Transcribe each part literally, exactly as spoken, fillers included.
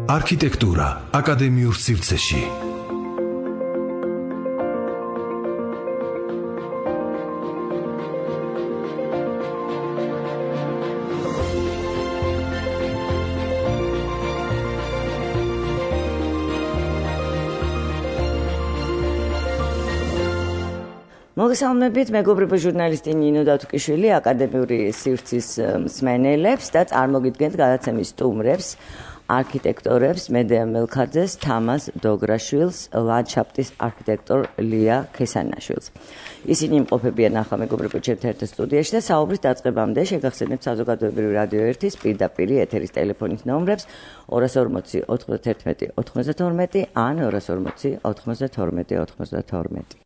არქიტექტურა აკადემიურ სივრცეში. მოგესალმებით, მეგობრებო, ჟურნალისტი ნინო დათუკიშვილი აკადემიური სივრცის მსმენელებს და წარმოგიდგენთ გადაცემის სტუმრებს, არქიტექტორებს, მედეა მელქაძეს, თამას დოგრაშვილს, ლანდშაფტის არქიტექტორ ლია ქესანაშვილს. ისინი იმყოფებიან ახლა მეგობრებო ჩემთან ერთად სტუდიაში და საუბრის დაწყებამდე შეგახსენებთ საზოგადოებრივი რადიო ერთის პირდაპირ ეთერის ტელეფონის ნომრებს ორას ორმოცი ოცდაათერთმეტი ოცდათორმეტი ან ორას ორმოცი ოცდათორმეტი ოცდათორმეტი.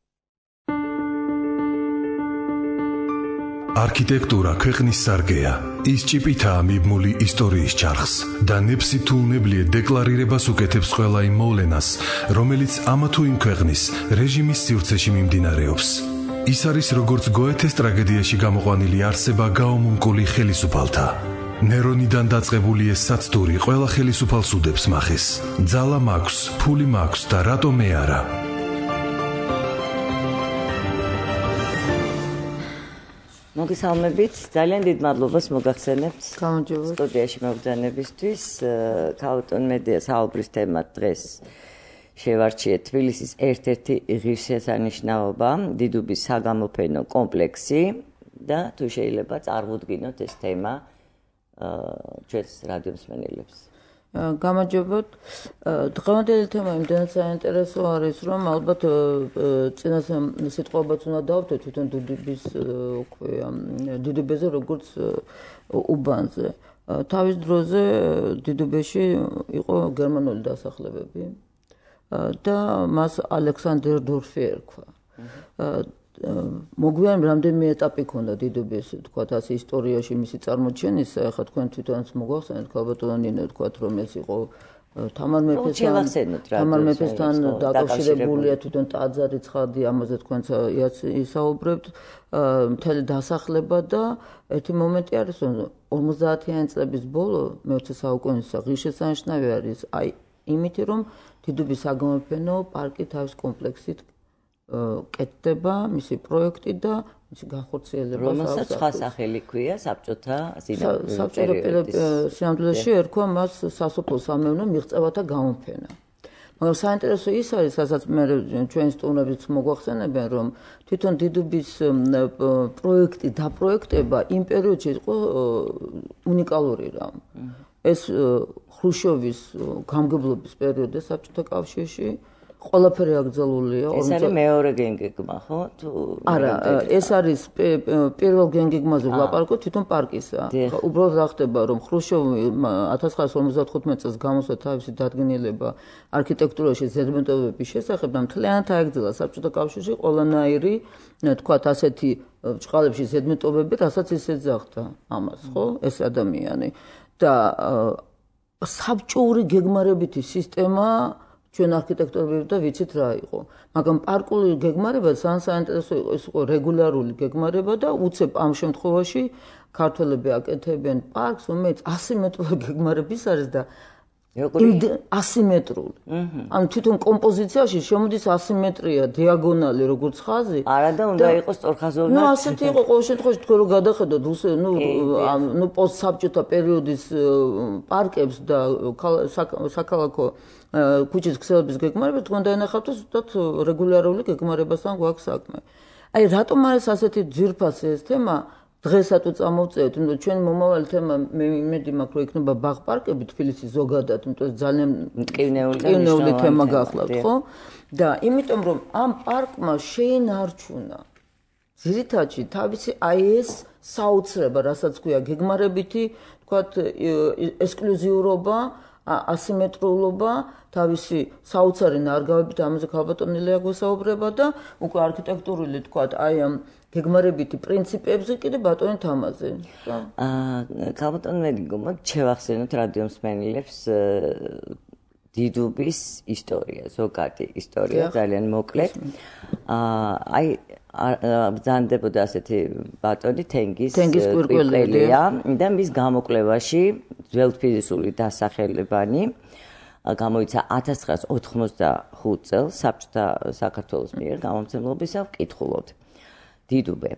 არქიტექტურა ქვეყნის სარგეა. ის ჭიპითაა მიბმული ისტორიის ჩარხს და ნებსი თუ უნებლიე დეკლარირებას უკეთებს ყველა იმ მოვლენას, რომელიც ამა თუ იმ ქვეყნის რეჟიმის სივრცეში მიმდინარეობს. ის არის როგორც გოეთეს ტრაგედიაში გამოყვანილი არსება გაომუნკული ხელისუფალთა. ნერონიდან დაწყებული ეს საცდური ყველა ხელისუფალს უდებს მახეს. ძალა მაქვს, ფული მაქვს და რატო მე არა? მოგესალმებით, ძალიან დიდ მადლობას მოგახსენებთ გამარჯობა სტუდიაში მოგზაურობისთვის. ქაუტონ მედია საუბრის თემად დღეს შევარჩიეთ თბილისის ერთ-ერთი ღირსშესანიშნაობა, დიდუბის საგამოფენო კომპლექსი და თუ შეიძლება წარმოვდგინოთ ეს თემა ჩვენს რადიო მსმენელებს. გამარჯობათ. დღევანდელი თემა იმდენად საინტერესო არის, რომ ალბათ წინასე სიტყვებაც უნდა დავთო თვითონ დიდუბის დიდუბეზე როგორც უბანზე. თავის დროზე დიდუბეში იყო გერმანული დასახლებები და მას ალექსანდერ დორფი ერქვა. მოგვიანებით რამდენიმე ეტაპი ჰქონდა დიდუბის, თქვათ ასე ისტორიაში მისი წარმოჩენისა, ახლა თქვენ თვითონაც მოგახსენეთ ქალბატონო ნინო, თქვათ რომ ეს იყო თამარ მეფესთან თამარ მეფესთან დაკავშირებულია თვითონ ტაძარი ცხადი, ამაზე თქვენც ისაუბრებთ, მთელი დასახლება და ერთი მომენტი არის რომ ორმოცდაათიანი წლების ბოლო მეოცე საუკუნის ღირსშესანიშნავი არის აი იმითი რომ დიდუბის საგამოფენო პარკი თავის კომპლექსით კეთდება მისი პროექტი და მისი განხორციელება რომელსაც სხვა სახელი ჰქვია საბჭოთა სინამდვილეში ერქვა მას სასოფლო-სამეურნეო მიღწევათა გამოფენა. მაგრამ საინტერესო ის არის, რასაც მე ჩვენი სტუმრებიც მოგვახსენებენ, რომ თვითონ დიდუბის პროექტი დაპროექტება იმ პერიოდში იყო უნიკალური რამ. ეს ხრუშჩოვის გამგებლობის პერიოდში საბჭოთა კავშირში ყველაფერი აკრძალულია. ეს არის მეორე გენგეგმა, ხო? თუ არა, ეს არის პირველ გენგეგმაზე ვლაპარაკობ თვითონ პარკისა. უბრალოდ რა ხდება, რომ ხრუშჩოვი ათას ცხრაასი ორმოცდათხუთმეტი წელს გამოსცა თავისი დადგენილება არქიტექტურაში ზედმეტობების შესახებ და მთლიანად აეგრძელა საბჭოთა კავშირში ყველანაირი, თქვათ ასეთი ბრჭყალებში ზედმეტობები, რასაც ის ეძახდა ამას, ხო? ეს ადამიანი და საბჭოური გეგმარებითი სისტემა ჩვენ არქიტექტორები და ვიცით რა იყო. მაგრამ პარკული გეგმარება ძალიან საინტერესო იყო, ეს იყო რეგულარული გეგმარება და უცებ ამ შემთხვევაში ქართველები აკეთებენ პარკს, რომელიც ასიმეტრიული გეგმარების არის და ასიმეტრული. ანუ თვითონ კომპოზიციაში შემოდის ასიმეტრია, დიაგონალი როგორც ხაზი. არა და უნდა იყოს სწორხაზოვანი. ნუ ასეთი იყო ყოველ შემთხვევაში თქვენ რო გადახედოთ უსე ნუ ნუ პოსტსაბჭოთა პერიოდის პარკებს და საქალაქო ქუჩის ქსელების გეგმარება თქვენ დაინახავთ ზუსტად რეგულარული გეგმარებასთან გვაქვს საქმე. აი რატომ არის ასეთი ძვირფასი ეს თემა? დღესაც წამოვწევთ, იმიტომ ჩვენ მომავალი თემა მე იმედი მაქვს რომ იქნება ბაღ-პარკები თბილისის ზოგადად, იმიტომ რომ ძალიან მტკივნეული თემა გახლავთ, ხო? და იმიტომ რომ ამ პარკმა შეინარჩუნა ძირითადში თავისი აი ეს საოცრება, რასაც ქვია გეგმარებითი, თქვათ ექსკლუზიურობა, ასიმეტრიულობა, თავისი საოცარი ნარგავებით, ამაზე ქალბატონი ლია გვესაუბრება და უკვე არქიტექტურული თქვათ აი ამ გეგმარებითი პრინციპებზე კიდე ბატონი თამაზე. აა ქალბატონი მედიგო, მათ შევახსენოთ რადიო მსმენელებს დიდუბის ისტორია, ზოგადი ისტორია, ძალიან მოკლედ. აა აი ბრძანდებოდა ასეთი ბატონი თენგის კვირკველია და მის გამოკვლევაში ძველთბილისური დასახელებანი გამოიცა ათას ცხრაას ოთხმოცდახუთ წელს საბჭოთა საქართველოს მიერ გამომცემლობისას ვკითხულობთ. დიდუბე.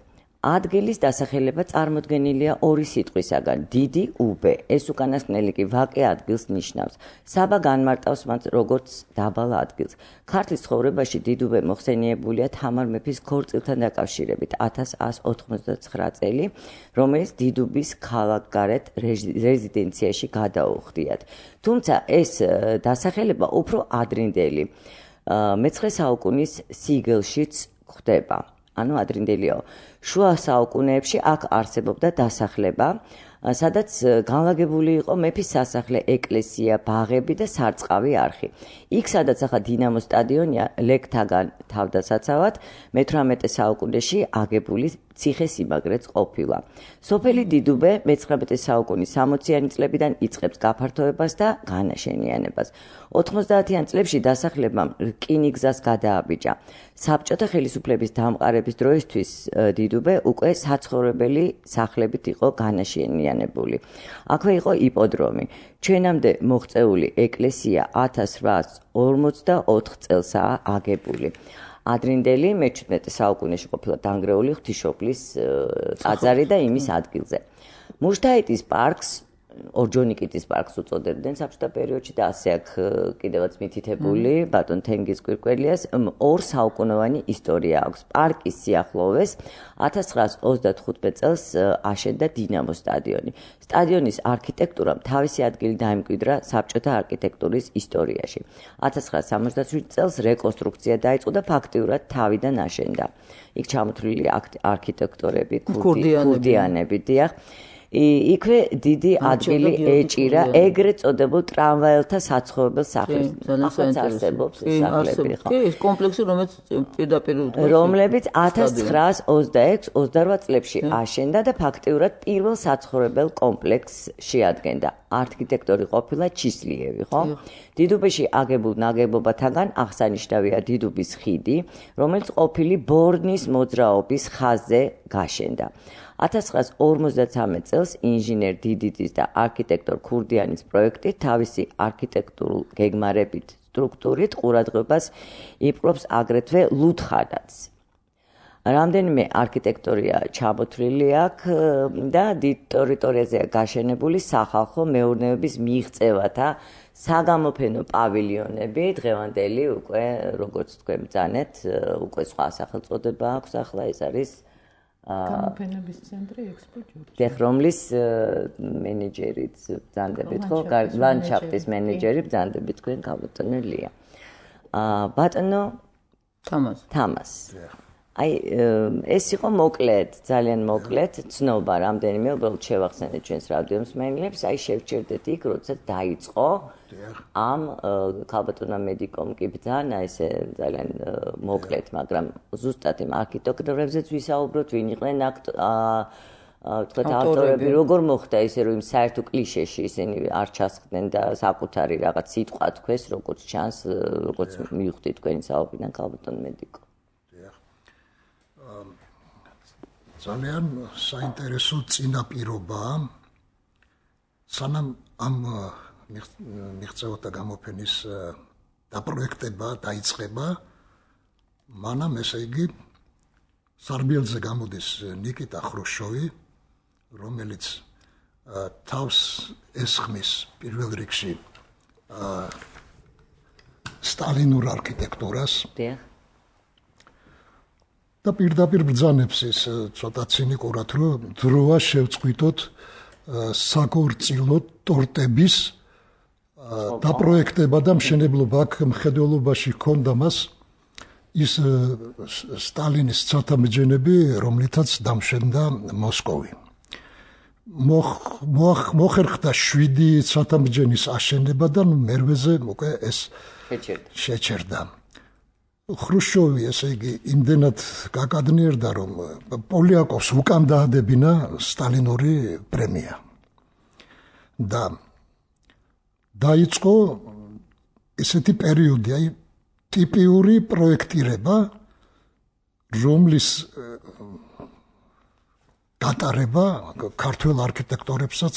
ადგილის დასახელება წარმოდგენილია ორი სიტყვისაგან დიდი უბე. ეს უკანასკნელი კი ვაკე ადგილს ნიშნავს. საბა განმარტავს მათ როგორც დაბალ ადგილს. ქართლის ცხოვრებაში დიდუბე მოხსენიებულია თამარ მეფის ქორწილთან დაკავშირებით ათას ას ოთხმოცდაცხრა წელი, რომელიც დიდუბის ქალაქგარეთ რეზიდენციაში გადაუხდიათ. თუმცა ეს დასახელება უფრო ადრინდელი მეცხრე საუკუნის სიგელშიც გვხვდება. ანუ ადრინდელიო. შუა საუკუნეებში აქ არსებობდა დასახლება, სადაც განლაგებული იყო მეფის სასახლე, ეკლესია, ბაღები და სარწყავი არხი. იქ, სადაც ახლა დინამო სტადიონია, ლეკთაგან თავდასაცავად მეთვრამეტე საუკუნეში აგებული ციხე-სიმაგრეც ყოფილა. სოფელი დიდუბე მეცხრამეტე საუკუნის სამოციანი წლებიდან იწყებს გაფართოებას და განაშენიანებას. ოთხმოცდაათიან წლებში დასახლებამ რკინიგზას გადააბიჯა. საბჭოთა ხელისუფლების დამყარების დროისთვის დიდუბე უკვე საცხოვრებელი სახლებით იყო განაშენიანებული. აქვე იყო იპოდრომი. ჩვენამდე მოღწეული ეკლესია ათას რვაას ორმოცდაოთხ წელსაა აგებული. ადრინდელი მეჩვიდმეტე საუკუნეში ყოფილა დანგრეული ღვთისმშობლის ტაძარი და იმის ადგილზე. მუშთაიტის პარკს, ორჯონიკიტის პარკს უწოდებდნენ საბჭოთა პერიოდში და ასე აქ კიდევაც მითითებული ბატონ თენგიზ კვირკველიას ორ საუკუნოვანი ისტორია აქვს. პარკის სიახლოვეს ათას ცხრაას ოცდახუთმეტ წელს აშენდა დინამო სტადიონი. სტადიონის არქიტექტურამ თავისი ადგილი დაიმკვიდრა საბჭოთა არქიტექტურის ისტორიაში. ათას ცხრაას სამოცდაშვიდ წელს რეკონსტრუქცია დაიწყო და ფაქტიურად თავიდან აშენდა. იქ ჩამოთვლილი არქიტექტორები, ქურდიანები, დიახ. იქვე დიდი ადგილი ეჭირა ეგრეთ წოდებულ ტრამვაელთა საცხოვრებელ სახლებს. ახაც არსებობს ეს სახლები, ხო? კი, ეს კომპლექსი, რომელიც პირდაპირ რომლებიც ათას ცხრაას ოცდაექვს ოცდარვა წლებში აშენდა და ფაქტიურად პირველ საცხოვრებელ კომპლექსს შეადგენდა. არქიტექტორი ყოფილა ჩისლიევი, ხო? დიდუბეში აგებულ ნაგებობათაგან აღსანიშნავია დიდუბის ხიდი, რომელიც ყოფილი ბორნის მოძრაობის ხაზზე გაშენდა. ათას ცხრაას ორმოცდათვრამეტ წელს ინჟინერ დიდიძის და არქიტექტორ ქურდიანის პროექტით თავისი არქიტექტურულ გეგმარებით სტრუქტურით ყურადღებას იპყრობს აგრეთვე ლუდხანაც. რამდენიმე არქიტექტორია ჩამოთვლილი აქ და დიდ ტერიტორიაზეა გაშენებული სახალხო მეურნეობის მიღწევათა საგამოფენო პავილიონები, დღევანდელი უკვე როგორც თქვენ ბრძანეთ, უკვე სხვა სახელწოდება აქვს, ახლა ეს არის გამოფენების ცენტრი ექსპო ჯორჯია. დიახ, რომლის მენეჯერიც ბრძანდებით, ხო? ლანდშაფტის მენეჯერი ბრძანდებით თქვენ ქალბატონო ლია. აა ბატონო თამას. თამას. აი ეს იყო მოკლედ, ძალიან მოკლედ, ცნობა რამდენიმე, უბრალოდ შევახსენეთ ჩვენს რადიო მსმენელებს, აი შევჩერდეთ იქ, როდესაც დაიწყო ამ ქალბატონო მედიკომ კი ბრძანა ესე ძალიან მოკლედ, მაგრამ ზუსტად იმ არქიტექტორებზეც ვისაუბროთ, ვინ იყვნენ აქ თქვათ ავტორები, როგორ მოხდა ისე რომ იმ საერთო კლიშეში ისინი არ ჩასხდნენ და საკუთარი რაღაც სიტყვა თქვეს, როგორც ჩანს, როგორც მივხვდით თქვენი საუბრიდან ქალბატონო მედიკო. ძალიან საინტერესო წინაპირობაა. სანამ ამ მიღწევათა გამოფენის დაპროექტება დაიწყება, მანამ ესე იგი სარბიელზე გამოდის ნიკიტა ხრუშოვი, რომელიც თავს ესხმის პირველ რიგში სტალინურ არქიტექტურას. და პირდაპირ ბრძანებს ის ცოტა ცინიკურად, რომ დროა შევწყვიტოთ საქორწილო ტორტების დაპროექტება და მშენებლობა. აქ მხედველობაში ჰქონდა მას ის სტალინის ცათამბჯენები, რომლითაც დამშენდა მოსკოვი. მოხერხდა შვიდი ცათამბჯენის აშენება და მერვეზე უკვე ეს შეჩერდა. ხრუშოვი ესე იგი იმდენად გაკადნიერდა, რომ პოლიაკოვს უკან დაადებინა სტალინური პრემია. და დაიწყო ესეთი პერიოდი, აი ტიპიური პროექტირება, რომლის გატარება ქართველ არქიტექტორებსაც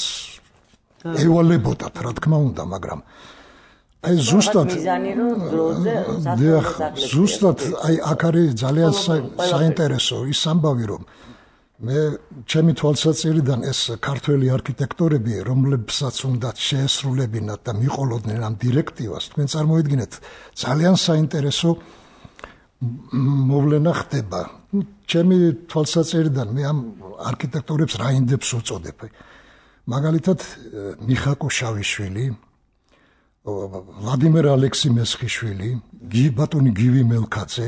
ევალებოდათ, რა თქმა უნდა, მაგრამ აი ზუსტად მიზანი რომ დროზე სახლის ზუსტად აი აქ არის ძალიან საინტერესო ის ამბავი რომ მე ჩემი თვალსაჩინიდან ეს ქართველი არქიტექტორები რომლებსაც უნდა შეესრულებინათ და მიყოლოდნენ ამ დირექტივას თქვენ წარმოიდგინეთ ძალიან საინტერესო მოვლენა ხდება ჩემი თვალსაჩინიდან მე ამ არქიტექტორებს რაინდებს უწოდებ მაგალითად მიხაკო შავიშვილი ვლადიმერ ალექსი-მესხიშვილი, ბატონი გივი მელქაძე,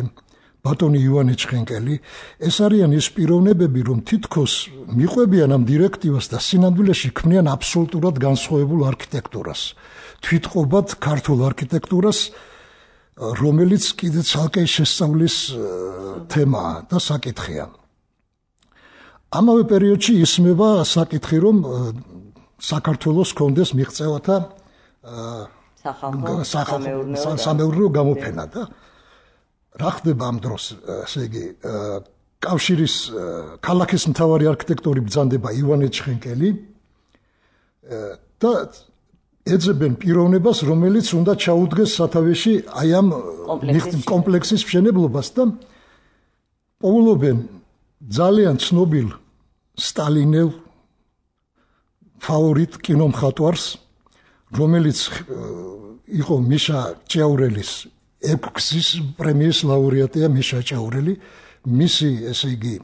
ბატონი ივანე ჩხენკელი, ეს არიან ის პიროვნებები, რომ თითქოს მიყვებიან ამ დირექტივას და სინამდვილეში ქმნიან აბსოლუტურად განსხვავებულ არქიტექტურას. თვითყოფად ქართულ არქიტექტურას, რომელიც კიდე ცალკე შესწავლის თემაა და საკითხია. ამავე პერიოდში ისმება საკითხი, რომ საქართველოს კონდეს მიღწევათა სამეურნეო გამოფენა და რა ხდება ამ დროს ესე იგი კავშირის ქალაქის მთავარი არქიტექტორი ბრძანდება ივანე ჩხენკელი და ეძებენ პიროვნებას რომელიც უნდა ჩაუდგეს სათავეში აი ამ კომპლექსის მშენებლობას და პოულობენ ძალიან ცნობილ სტალინელ ფავორიტ კინომხატვარს რომელიც იყო მიშა ჭიაურელის ექვსის პრემიის ლაურეატია მიშა ჭიაურელი მისი ესე იგი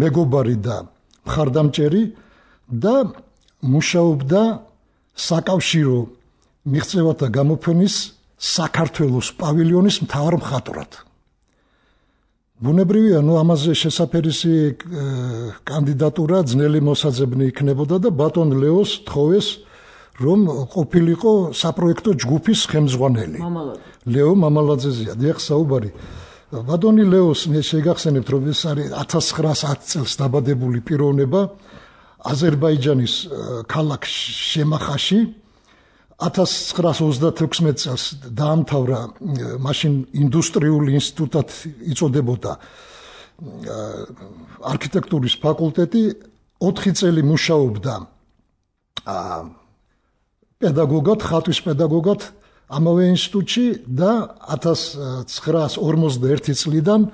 მეგობარი და მხარდამჭერი და მუშაობდა საკავშირო მიღწევათა გამოფენის საქართველოს პავილიონის მთავარ მხატვრად. ბუნებრივია, ნუ ამაზე შესაფერისი კანდიდატურა ძნელი მოსაძებნი იქნებოდა და ბატონ ლეოს თხოვეს რომ ყოფილიყო საპროექტო ჯგუფის ხელმძღვანელი. ლეო მამალაძეზეა, დიახ საუბარი. ბატონი ლეოს მე შეგახსენებთ, რომ ეს არის ათას ცხრაასი წელს დაბადებული პიროვნება აზერბაიჯანის ქალაქ შემახაში. ათას ცხრაასი ოცდათექვსმეტ წელს დაამთავრა მაშინ ინდუსტრიული ინსტიტუტად იწოდებოდა არქიტექტურის ფაკულტეტი, ოთხი წელი მუშაობდა პედაგოგად, ხატვის პედაგოგად ამავე ინსტიტუტში და ათას ცხრაასი ორმოცდაერთი წლიდან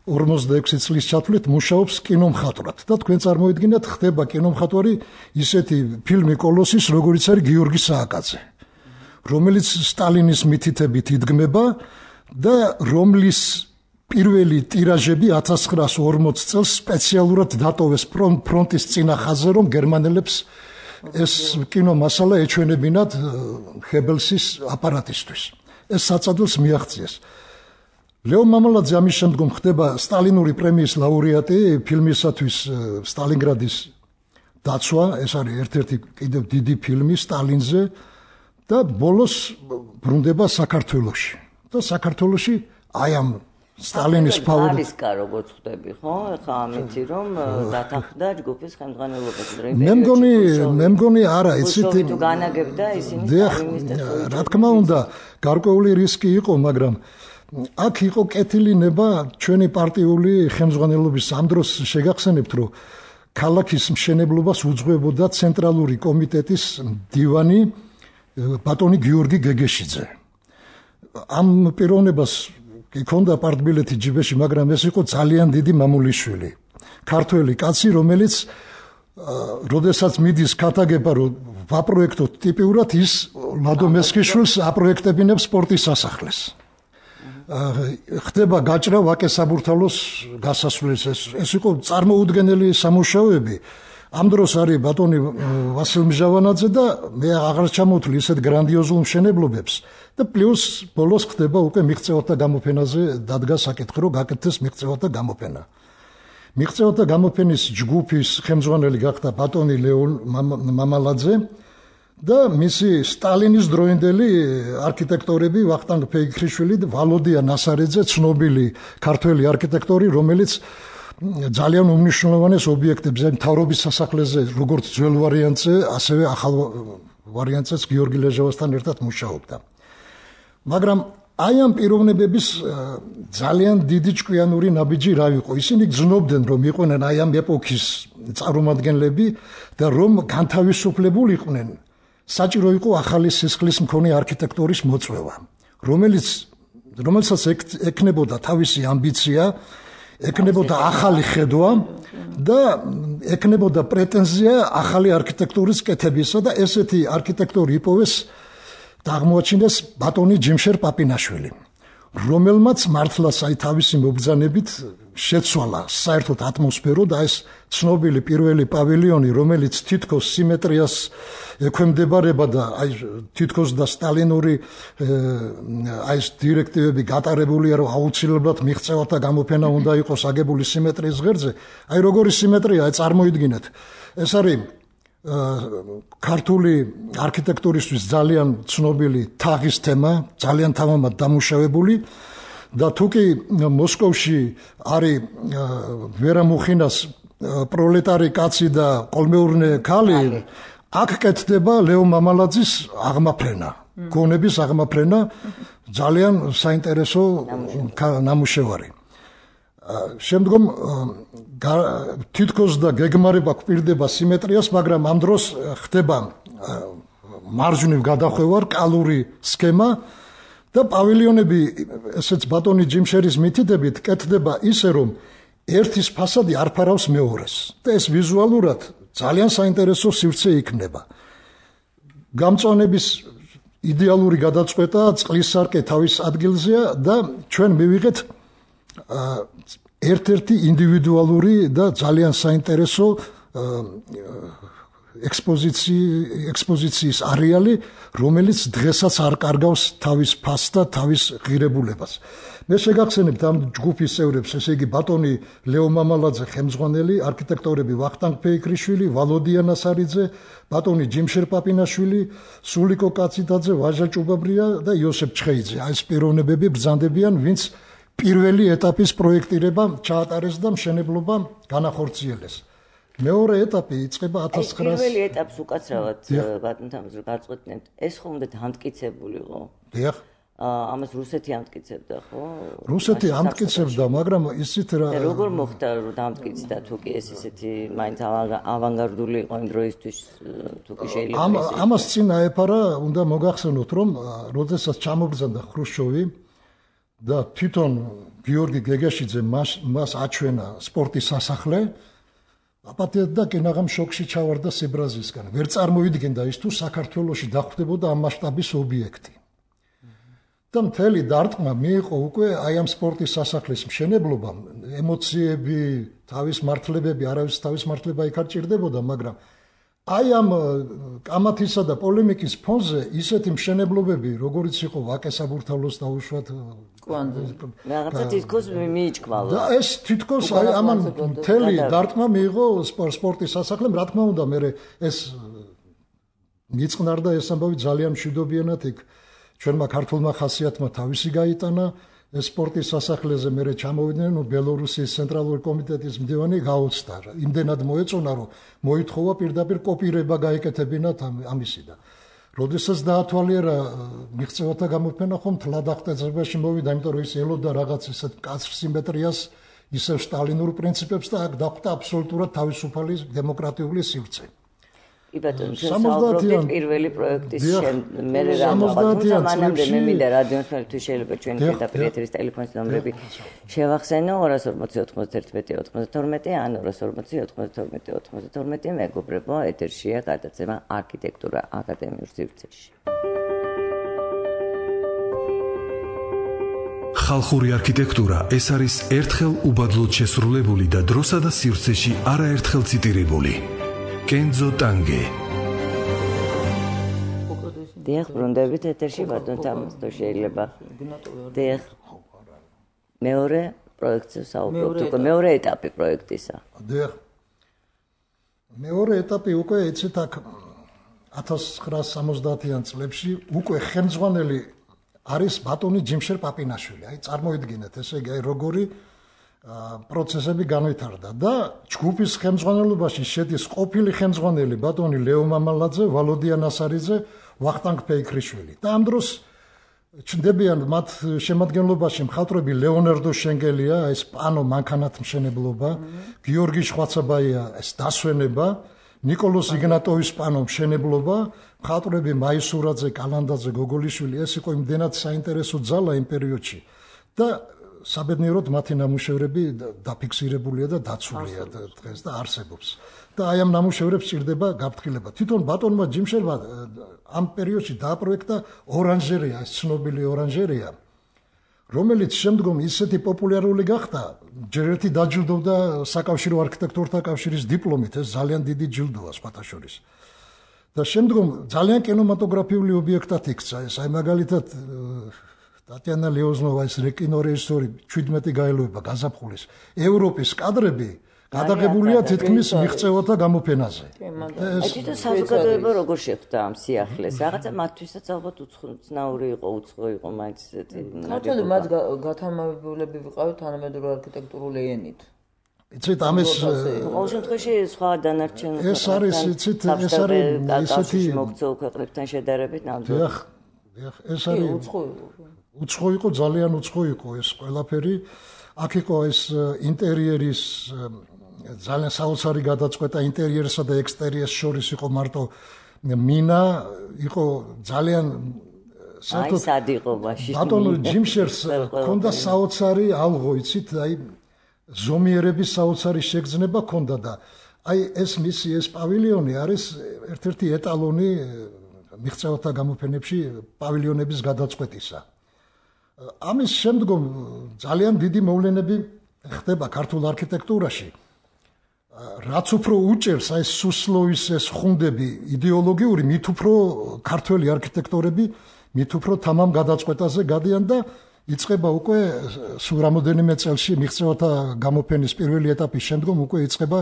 ორმოცდაექვსი წლის ჩათვლით მუშაობს კინომხატვრად და თქვენ წარმოიდგინეთ ხდება კინომხატვარი ისეთი ფილმი კოლოსის როგორიც არის გიორგი სააკაძე რომელიც სტალინის მითითებით იდგმება და რომლის პირველი ტირაჟები ათას ცხრაასი ორმოც წელს სპეციალურად დატოვეს ფრონტის წინა ხაზზე რომ გერმანელებს ეს კინომასალა ეჩვენებინათ ჰებელსის აპარატისთვის. ეს საწადელს მიაღწიეს. ლეო მამალაძე ამის შემდგომ ხდება სტალინური პრემიის ლაურეატი ფილმისათვის სტალინგრადის დაცვა, ეს არის ერთ-ერთი კიდევ დიდი ფილმი სტალინზე და ბოლოს ბრუნდება საქართველოში. და საქართველოში აი ამ სტალინის ფავორიტი არის კა როგორც ხვდები, ხო? ხა ამითი რომ დათანხმდა ჯგუფის ხელმძღვანელობას. მე მგონი, მე მგონი არა, იცით თუ განაგებდა ისინი სტალინის რა თქმა უნდა, გარკვეული რისკი იყო, მაგრამ აქ იყო კეთილი ნება ჩვენი პარტიული ხელმძღვანელობის ამ დროს შეგახსენებთ, რომ ქალაქის მშენებლობას უძღვებოდა ცენტრალური კომიტეტის მდივანი ბატონი გიორგი გეგეშიძე. ამ პიროვნებას იქონდა პარტბილეთი ჯიბეში, მაგრამ ეს იყო ძალიან დიდი მამულიშვილი. ქართველი კაცი, რომელიც როდესაც მიდის ქათაგება, რომ ვაპროექტოთ ტიპიურად, ის ლადო მესხიშვილს აპროექტებინებს სპორტის სასახლეს. ხდება გაჭრა ვაკე საბურთალოს გასასვლელს. ეს ეს იყო წარმოუდგენელი სამუშაოები. ამ დროს არის ბატონი ვასილ მჟავანაძე და მე აღარ ჩამოვთვლი ისეთ გრანდიოზულ მშენებლობებს და პლუს ბოლოს ხდება უკვე მიღწევათა გამოფენაზე დადგა საკითხი, რომ გაკეთდეს მიღწევათა გამოფენა. მიღწევათა გამოფენის ჯგუფის ხელმძღვანელი გახდა ბატონი ლეო მამალაძე და მისი სტალინის დროინდელი არქიტექტორები ვახტანგ ფეიქრიშვილი და ვალოდია ნასარეძე, ცნობილი ქართველი არქიტექტორი, რომელიც ძალიან უმნიშვნელოვანეს ობიექტებზე მთავრობის სასახლეზე როგორც ძველ ვარიანტზე, ასევე ახალ ვარიანტზეც გიორგი ლეჟავასთან ერთად მუშაობდა. მაგრამ აი ამ პიროვნებების ძალიან დიდი ჭკვიანური ნაბიჯი რა იყო? ისინი გრძნობდნენ, რომ იყვნენ აი ამ ეპოქის წარმომადგენლები და რომ განთავისუფლებულიყვნენ საჭირო იყო ახალი სისხლის მქონე არქიტექტურის მოწვევა, რომელიც რომელსაც ეკნებოდა თავისი ამბიცია, ეკნებოდა ახალი ხედვა და ეკნებოდა პრეტენზია ახალი არქიტექტურის კეთებისა და ესეთი არქიტექტორი იპოვეს და აღმოაჩინეს ბატონი ჯიმშერ პაპინაშვილი, რომელმაც მართლაც აი თავისი მობრძანებით შეცვალა საერთოდ ატმოსფერო და ეს ცნობილი პირველი პავილიონი, რომელიც თითქოს სიმეტრიას ექვემდებარება და აი თითქოს და სტალინური აი ეს დირექტივები გატარებულია, რომ აუცილებლად მიღწევათა გამოფენა უნდა იყოს აგებული სიმეტრიის ღერძზე. აი როგორი სიმეტრია, აი წარმოიდგინეთ. ეს არის ქართული არქიტექტურისთვის ძალიან ცნობილი თაღის თემა, ძალიან თამამად დამუშავებული და თუკი მოსკოვში არის ვერა მუხინას პროლეტარი კაცი და ყოლმეურნე ქალი, აქ კეთდება ლეო მამალაძის აღმაფრენა, გონების აღმაფრენა, ძალიან საინტერესო ნამუშევარი. შემდგომ თითქოს და გეგმარება გვპირდება სიმეტრიას, მაგრამ ამ დროს ხდება მარჯვნივ გადახვევა, რკალური სქემა და პავილიონები, ესეც ბატონი ჯიმშერის მითითებით, კეთდება ისე, რომ ერთის ფასადი არ ფარავს მეორეს და ეს ვიზუალურად ძალიან საინტერესო სივრცე იქნება. გამწვანების იდეალური გადაწყვეტა წყლის სარკე თავის ადგილზეა და ჩვენ მივიღეთ ერთ-ერთი ინდივიდუალური და ძალიან საინტერესო ექსპოზიციის არეალი, რომელიც დღესაც არ კარგავს თავის ფასს და თავის ღირებულებას. მე შეგახსენებთ ამ ჯგუფის წევრებს, ესე იგი ბატონი ლეო მამალაძე ხელმძღვანელი, არქიტექტორები ვახტანგ ფეიქრიშვილი, ვალოდია ნასარიძე, ბატონი ჯიმშერ პაპინაშვილი, სულიკო კაციდაძე, ვაჟა ჭუბაბრია და იოსებ ჩხეიძე. აი ეს პიროვნებები ბრძანდებიან, ვინც პირველი ეტაპის პროექტირება ჩაატარეს და მშენებლობა განახორციელეს. მეორე ეტაპი იწყება ათას ცხრაასი. პირველი ეტაპს უკაცრავად ბატონ თამაზ რო გარწყვეტნებთ, ეს ხომ უნდა დამტკიცებულიყო? დიახ. ამას რუსეთი ამტკიცებდა, ხო? რუსეთი ამტკიცებდა, მაგრამ ისიც რა როგორ მოხდა რომ დამტკიცდა, თუ კი ეს ისეთი მაინც ავანგარდული იყო იმ დროისთვის, თუ კი შეიძლება ისე. ამას წინ აეფარა, უნდა მოგახსენოთ, რომ როდესაც ჩამობრძანდა ხრუშჩოვი და თვითონ გიორგი გეგეშიძე მას მას აჩვენა სპორტის სასახლე, აპატიეთ და კენაღამ შოკში ჩავარდა სიბრაზისგან. ვერ წარმოიდგენდა ის თუ საქართველოში დახვდებოდა ამ მასშტაბის ობიექტი. და მთელი დარტყმა მიიღო უკვე აი ამ სპორტის სასახლის მშენებლობამ, ემოციები, თავის მართლებები, არავის თავის მართლება იქ არ ჭირდებოდა, მაგრამ აი ამ კამათისა და პოლემიკის ფონზე ისეთი მშენებლობები, როგორიც იყო ვაკე საბურთალოს დაუშვათ რაღაცა თითქოს მიიჭკმალა. და ეს თითქოს აი ამან მთელი დარტყმა მიიღო სპორტის სასახლემ, რა თქმა უნდა, მე ეს მიწყნარდა ეს ამბავი ძალიან მშვიდობიანად იქ ჩვენმა ქართულმა ხასიათმა თავისი გაიტანა ეს სპორტის სასახლეზე მერე ჩამოვიდნენ ბელორუსიის ცენტრალური კომიტეტის მდივანი გაოცდა. იმდენად მოეწონა, რომ მოითხოვა პირდაპირ კოპირება გაეკეთებინათ ამისიდან. როდესაც დაათვალიერა მიღწევათა გამოფენა, ხომ თლად აღწერაში მოვიდა, იმიტომ რომ ის ელოდა რაღაც ისეთ მკაცრ სიმეტრიას, ისევ სტალინურ პრინციპებს და აქ დახვდა აბსოლუტურად თავისუფალი დემოკრატიული სივრცე. კი ბატონო, ჩვენ საუბრობთ პირველი პროექტის მე რა მანამდე მე მინდა რადიოს ფერთვის შეიძლება ჩვენი პირდაპირ ეთერის ტელეფონის ნომრები შევახსენო ორას ორმოცი ოთხმოცდაერთმეტი ოცდათორმეტი ან ორას ორმოცი ოთხმოცდათორმეტი ოცდათორმეტი მეგობრებო, ეთერშია გადაცემა არქიტექტურა აკადემიურ სივრცეში. ხალხური არქიტექტურა ეს არის ერთხელ უბადლოდ შესრულებული და დროსა და სივრცეში არაერთხელ ციტირებული. კენძო ტანგე. დიახ, ბრუნდებით ეთერში ბატონ თამაზ, თუ შეიძლება. დიახ. მეორე პროექტზე საუბრობთ, უკვე მეორე ეტაპი პროექტისა. დიახ. მეორე ეტაპი უკვე ეცეთ აქ ათას ცხრაასი სამოცდაათიან წლებში უკვე ხელმძღვანელი არის ბატონი ჯიმშერ პაპინაშვილი. აი წარმოიდგინეთ, ესე იგი როგორი პროცესები განვითარდა და ჯგუფის ხელმძღვანელობაში შედის ყოფილი ხელმძღვანელი ბატონი ლეო მამალაძე, ვალოდია ნასარიძე, ვახტანგ ფეიქრიშვილი. და ამ დროს ჩნდებიან მათ შემადგენლობაში მხატვრები ლეონარდო შენგელია, ეს პანო მანქანათმშენებლობა, გიორგი შვაცაბაია, ეს დასვენება, ნიკოლოს იგნატოვის პანო მშენებლობა, მხატვრები მაისურაძე, კალანდაძე, გოგოლიშვილი, ეს იყო იმდენად საინტერესო ძალა იმ პერიოდში და საბედნიეროდ მათი ნამუშევრები დაფიქსირებულია და დაცულია დღეს და არსებობს. და აი ამ ნამუშევრებს ჭირდება გაფრთხილება. თვითონ ბატონმა ჯიმშერმა ამ პერიოდში დააპროექტა ორანჟერეა, ეს ცნობილი ორანჟერეა, რომელიც შემდგომ ისეთი პოპულარული გახდა, ჯერ ერთი დაჯილდოვდა საკავშირო არქიტექტორთა კავშირის დიპლომით, ეს ძალიან დიდი ჯილდოა სხვათა შორის. და შემდგომ ძალიან კინემატოგრაფიული ობიექტად იქცა ეს, აი მაგალითად ტატიანა ლეოზნოვა, ეს კინორეჟისორი ჩვიდმეტი გაელოება გაზაფხულის ევროპის კადრები გადაღებულია თითქმის მიღწევათა გამოფენაზე. აი თვითონ საზოგადოება როგორ შეხვდა ამ სიახლეს? რაღაცა მათთვისაც ალბათ უცნაური იყო, უცხო იყო მაინც ესეთი. ქართველი მათ გათამამებულები ვიყავით თანამედროვე არქიტექტურული ენით. იცით ამის ყოველ შემთხვევაში სხვა დანარჩენ ეს არის იცით ეს არის ესეთი მოქცეულ ქვეყნებთან შედარებით ნამდვილად. დიახ, დიახ, ეს არის უცხო იყო. უცხო იყო, ძალიან უცხო იყო ეს ყველაფერი. აქ იყო ეს ინტერიერის ძალიან საოცარი გადაწყვეტა ინტერიერსა და ექსტერიერს შორის იყო მარტო მინა, იყო ძალიან საერთოდ აი სად იყო მაშინ ბატონო ჯიმშერს ჰქონდა საოცარი ალღო, იცით, აი ზომიერების საოცარი შეგრძნება ჰქონდა და აი ეს მისი ეს პავილიონი არის ერთ-ერთი ეტალონი მიღწევათა გამოფენებში პავილიონების გადაწყვეტისა. ამის შემდგომ ძალიან დიდი მოვლენები ხდება ქართულ არქიტექტურაში. რაც უფრო უჭერს აი სუსლოვის ეს ხუნდები იდეოლოგიური, მით უფრო ქართველი არქიტექტორები მით უფრო თამამ გადაწყვეტაზე გადიან და იწყება უკვე სულ რამოდენიმე წელში მიღწევათა გამოფენის პირველი ეტაპის შემდგომ უკვე იწყება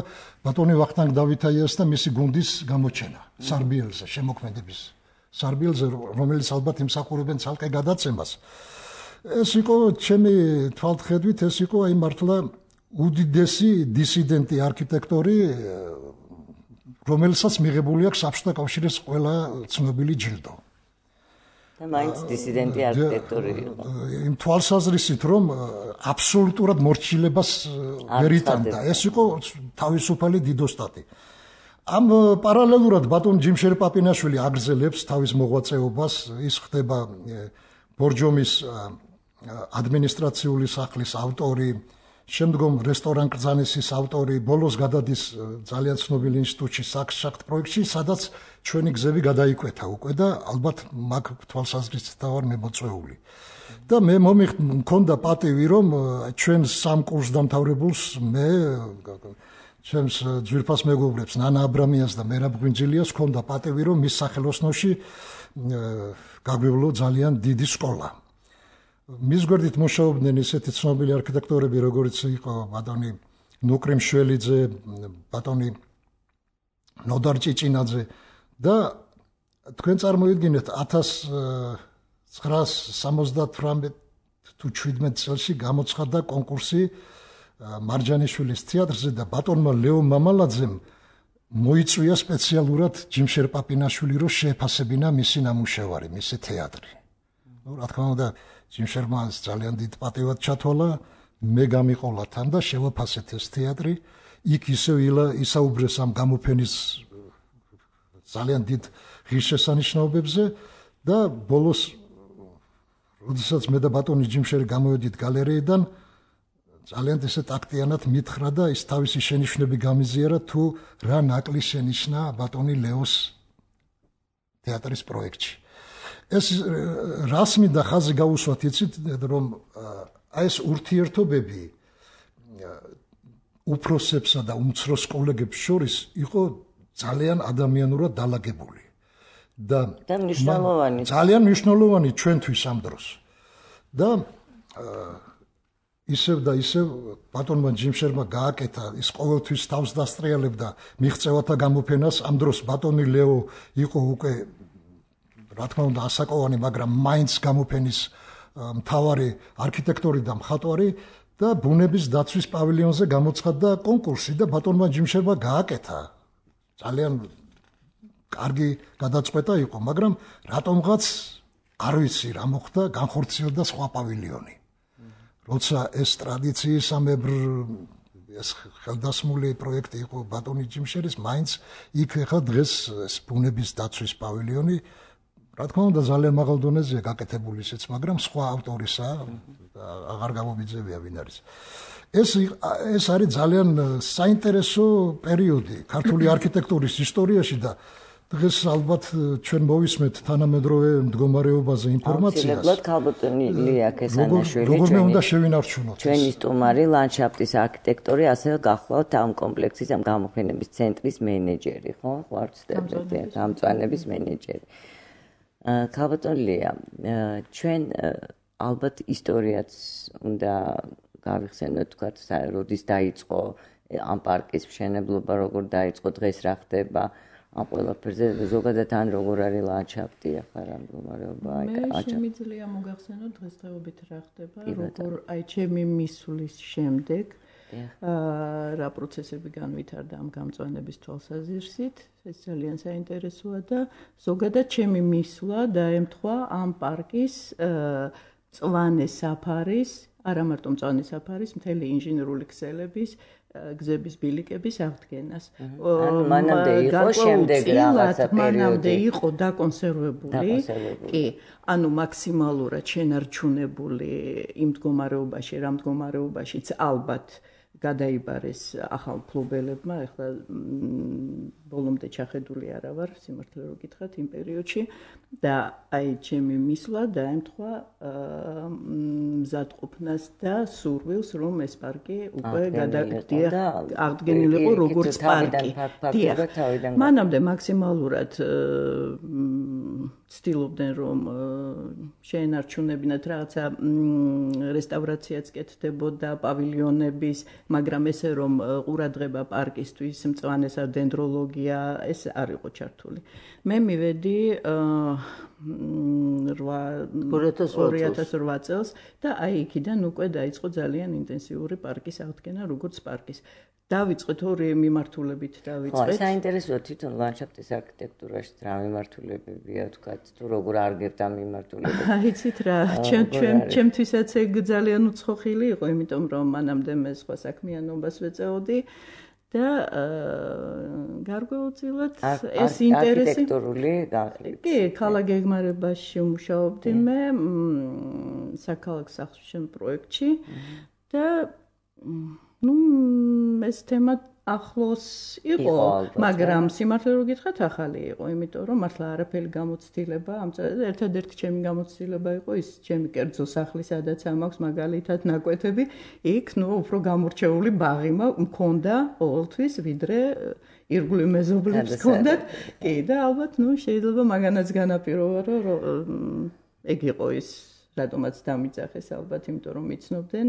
ბატონი ვახტანგ დავითაიას და მისი გუნდის გამოჩენა სარბიელზე, შემოქმედების სარბიელზე, რომელიც ალბათ იმსახურებენ ცალკე გადაცემას. ეს იყო ჩემი თვალთხედვით, ეს იყო აი მართლა უდიდესი დისიდენტი არქიტექტორი, რომელსაც მიღებული აქვს საბჭოთა კავშირის ყველა ცნობილი ჯილდო. და მაინც დისიდენტი არქიტექტორი იყო. იმ თვალსაზრისით, რომ აბსოლუტურად მორჩილებას ვერ იტანდა. ეს იყო თავისუფალი დიდოსტატი. ამ პარალელურად ბატონ ჯიმშერ პაპინაშვილი აგრძელებს თავის მოღვაწეობას, ის ხდება ბორჯომის ადმინისტრაციული სახლის ავტორი, შემდგომ რესტორან კრძანისის ავტორი, ბოლოს გადადის ძალიან ცნობილ ინსტიტუტში საქსშახტ პროექტში, სადაც ჩვენი გზები გადაიკვეთა უკვე და ალბათ მაგ თვალსაზრისით ვარ მემოწვეული. და მე მომქონდა პატივი, რომ ჩვენ სამ კურსდამთავრებულს მე ჩემს ძვირფას მეგობრებს ნანა აბრამიას და მერაბ ღვინძილიას ჰქონდა პატივი, რომ მის სახელოსნოში გაგვევლო ძალიან დიდი სკოლა. მის გვერდით მუშაობდნენ ისეთი ცნობილი არქიტექტორები, როგორც იყო ბატონი ნუკრიმ შველიძე, ბატონი ნოდარ ჭიჭინაძე და თქვენ წარმოიდგინეთ ათას ცხრაას სამოცდათვრამეტ თუ შვიდმეტ წელს გამოცხადდა კონკურსი მარჯანიშვილის თეატრზე და ბატონმა ლეო მამალაძემ მოიწვია სპეციალურად ჯიმშერ პაპინაშვილი, რომ შეეფასებინა მისი ნამუშევარი, მისი თეატრი. ნუ რა თქმა უნდა ჯიმშერმა ძალიან დიდ პატივად ჩათვალა, მე გამიყოლა თან და შევაფასეთ ეს თეატრი. იქ ისევ ისაუბრეს ამ გამოფენის ძალიან დიდ ღირსშესანიშნაობებზე და ბოლოს, როდესაც მე და ბატონი ჯიმშერი გამოვედით გალერეიდან, ძალიან ესე ტაქტიანად მითხრა და ის თავისი შენიშვნები გამიზიარა თუ რა ნაკლი შენიშნა ბატონი ლეოს თეატრის პროექტში. ეს რას მინდა ხაზი გაუსვათ, იცით, რომ აი ეს ურთიერთობები უფროსებსა და უმცროს კოლეგებს შორის იყო ძალიან ადამიანურად დალაგებული და და მნიშვნელოვანი. ძალიან მნიშვნელოვანი ჩვენთვის ამ დროს. და ისევ და ისევ ბატონმა ჯიმშერმა გააკეთა, ის ყოველთვის თავს დასტრიალებდა მიღწევათა გამოფენას. ამ დროს ბატონი ლეო იყო უკვე რა თქმა უნდა ასაკოვანი, მაგრამ მაინც გამოფენის მთავარი არქიტექტორი და მხატვარი და ბუნების დაცვის პავილიონზე გამოცხადდა კონკურსი და ბატონმა ჯიმშერმა გააკეთა. ძალიან კარგი გადაწყვეტა იყო, მაგრამ რატომღაც არ ვიცი რა მოხდა, განხორციელდა სხვა პავილიონი. როცა ეს ტრადიციისამებრ ეს ხელდასმული პროექტი იყო ბატონი ჯიმშერის, მაინც იქ ახლა დღეს ეს ბუნების დაცვის პავილიონი, რა თქმა უნდა, ძალიან მაღალ დონეზეა გაკეთებული ისიც, მაგრამ სხვა ავტორისაა, აღარ გამომიძებია ვინ არის. ეს ეს არის ძალიან საინტერესო პერიოდი ქართული არქიტექტურის ისტორიაში და დღეს ალბათ ჩვენ მოვისმენთ თანამედროვე მდგომარეობაზე ინფორმაციას. აუცილებლად ქალბატონი ლია ქესანაშვილი როგორ უნდა შევინარჩუნოთ ჩვენი სტუმარი ლანდშაფტის არქიტექტორი, ასევე გახლავთ ამ კომპლექსის ამ გამოფენების ცენტრის მენეჯერი, ხო? ვართ გამწვანების მენეჯერი. ქალბატონი ლია, ჩვენ ალბათ ისტორიაც უნდა გავიხსენოთ, თქვათ, როდის დაიწყო ამ პარკის მშენებლობა, როგორ დაიწყო, დღეს რა ხდება. ამ ყველაფერზე ზოგადად ან როგორ არის ლანდშაფტი ახლა რა მდგომარეობა აი მე შემიძლია მოგახსენოთ დღესდღეობით რა ხდება როგორ აი ჩემი მისვლის შემდეგ აა რა პროცესები განვითარდა ამ გამწვანების თვალსაზრისით ეს ძალიან საინტერესოა და ზოგადად ჩემი მისვლა დაემთხვა ამ პარკის მწვანე საფარის არა მარტო მწვანე საფარის მთელი ინჟინერული ქსელების გზების ბილიკების აღდგენას. ანუ მანამდე იყო შემდეგ რაღაცა პერიოდი. მანამდე იყო დაკონსერვებული. კი, ანუ მაქსიმალურად შენარჩუნებული იმ მდგომარეობაში, რა მდგომარეობაშიც ალბათ გადაიბარეს ახალ ფლობელებმა, ეხლა ბოლომდე ჩახედული არა ვარ, სიმართლე რომ გითხრათ იმ პერიოდში და აი ჩემი მისვლა დაემთხვა მზადყოფნას და სურვილს, რომ ეს პარკი უკვე აღდგენილიყო როგორც პარკი. მანამდე მაქსიმალურად ცდილობდნენ, რომ შეენარჩუნებინათ რაღაცა რესტავრაციაც კეთდებოდა პავილიონების, მაგრამ ესე რომ ყურადღება პარკისთვის, მწვანესა დენდროლოგია, ეს არ იყო ჩართული. მე მივედი ორი ათას რვა წელს და აი იქიდან უკვე დაიწყო ძალიან ინტენსიური პარკის აღდგენა, როგორც პარკის. დავიწყეთ ორი მიმართულებით დავიწყეთ. ხო, საინტერესოა თვითონ ლანდშაფტის არქიტექტურაში რა მიმართულებებია, თქვათ, თუ როგორ არგებთ ამ მიმართულებებს. აიცით რა, ჩემ ჩემ ჩემთვისაც ეგ ძალიან უცხოხილი იყო, იმიტომ რომ მანამდე მე სხვა საქმიანობას ვეწეოდი და გარკვეულწილად ეს ინტერესი არქიტექტურული გახლით. კი, ქალაქ გეგმარებაში ვმუშაობდი მე საქალაქო სახლში პროექტში და ну ეს თემა ახლოს იყო, მაგრამ სიმართლე რომ გითხრათ ახალი იყო, იმიტომ რომ მართლა არაფერი გამოცდილება, ამ ერთადერთი ჩემი გამოცდილება იყო ის ჩემი კერძო სახლი, სადაც ამაქვს მაგალითად ნაკვეთები, იქ ნუ უფრო გამორჩეული ბაღი მქონდა ყოველთვის, ვიდრე ირგვლივ მეზობლებს ჰქონდათ. კი, და ალბათ ნუ შეიძლება მაგანაც განაპირობა, რომ ეგ იყო ის, რატომაც დამიძახეს ალბათ, იმიტომ რომ იცნობდნენ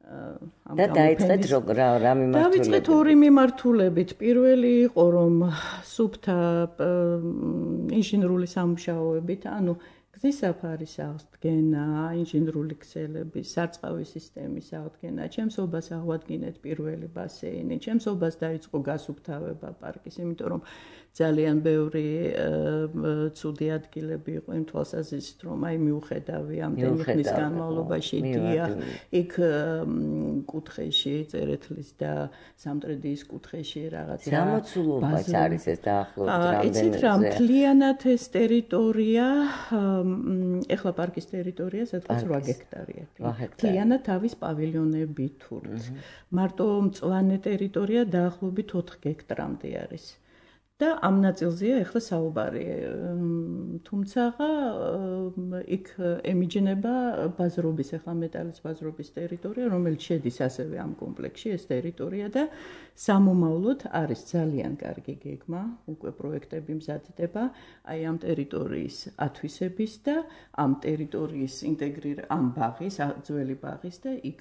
და დაიწყეთ რა რა მიმართულებით? დავიწყეთ ორი მიმართულებით. პირველი იყო რომ სუფთა ინჟინერული სამუშაოებით, ანუ გზის საფარის აღდგენა, ინჟინერული ქსელების, სარწყავი სისტემის აღდგენა, ჩემსობას აღვადგინეთ პირველი ბასეინი, ჩემსობას დაიწყო გასუფთავება პარკის, იმიტომ რომ ძალიან ბევრი ცუდი ადგილები იყო იმ თვალსაზრისით, რომ აი მიუხედავი ამდენი ხნის განმავლობაში დიახ, იქ კუთხეში, წერეთლის და სამტრედიის კუთხეში რაღაცა გამოცულობაც არის ეს დაახლოებით რამდენი. იცით რა, მთლიანად ეს ტერიტორია, ეხლა პარკის ტერიტორია სადღაც რვა გექტარია. მთლიანად თავის პავილიონებით თურთ. მარტო მწვანე ტერიტორია დაახლოებით ოთხ გექტრამდე არის. და ამ ნაწილზეა ახლა საუბარი. თუმცა იქ ემიჯნება ბაზრობის, ახლა მეტალის ბაზრობის ტერიტორია, რომელიც შედის ასევე ამ კომპლექსში, ეს ტერიტორია და სამომავლოდ არის ძალიან კარგი გეგმა, უკვე პროექტები მზადდება, აი ამ ტერიტორიის ათვისების და ამ ტერიტორიის ინტეგრირ ამ ბაღის, ძველი ბაღის და იქ